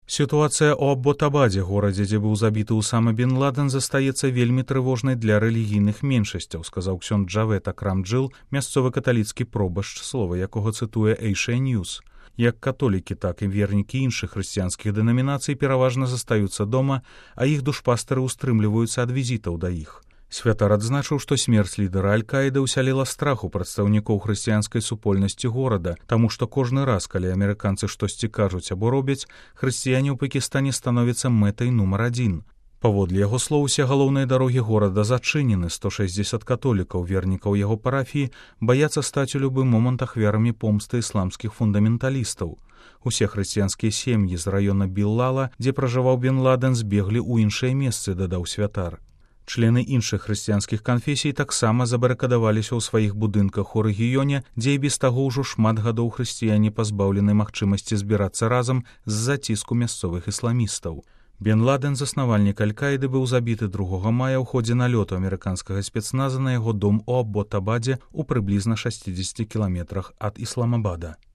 Сітуацыя ў Абботабадзе, горадзе, дзе быў забіты Усама бен Ладен, застаецца вельмі трывожнай для рэлігійных меншасцяў, сказаў ксёндз Джавед Акрам-Джил, мясцовы каталіцкі пробашч, слова якога цытуе Эйшыя Ньюс. Як католікі, так і вернікі іншых хрысціянскіх дэнамінацый пераважна застаюцца дома, а іх душпастары ўстрымліваюцца ад візітаў да іх. Святар адзначыў, што смерць лідара Аль-Каіды ўсяліла страх у прадстаўнікоў хрысціянскай супольнасці горада, таму што кожны раз, калі амерыканцы штосьці кажуць або робяць, хрысціяне ў Пакістане становяцца мэтай нумар адзін. Паводле яго слоў, усе галоўныя дарогі горада зачынены, 160 католікаў, вернікаў яго парафіі, баяцца стаць у любы момант ахвярамі помсты ісламскіх фундаменталістаў. Усе хрысціянскія сем'і з раёна Біллала, дзе пражываў бен Ладен, збеглі ў іншыя месцы, дадаў святар. Члены іншых хрысціянскіх канфесій таксама забарыкадаваліся ў сваіх будынках у рэгіёне, дзе і без таго ўжо шмат гадоў хрысціяне пазбаўлены магчымасці збірацца разам з-за ціску мясцовых ісламістаў. Бен Ладен, заснавальнік Аль-Каіды, быў забіты 2 мая ў ходзе налёту амерыканскага спецназа на яго дом у Абботабадзе ў прыблізна 60 кіламетрах ад Ісламабада.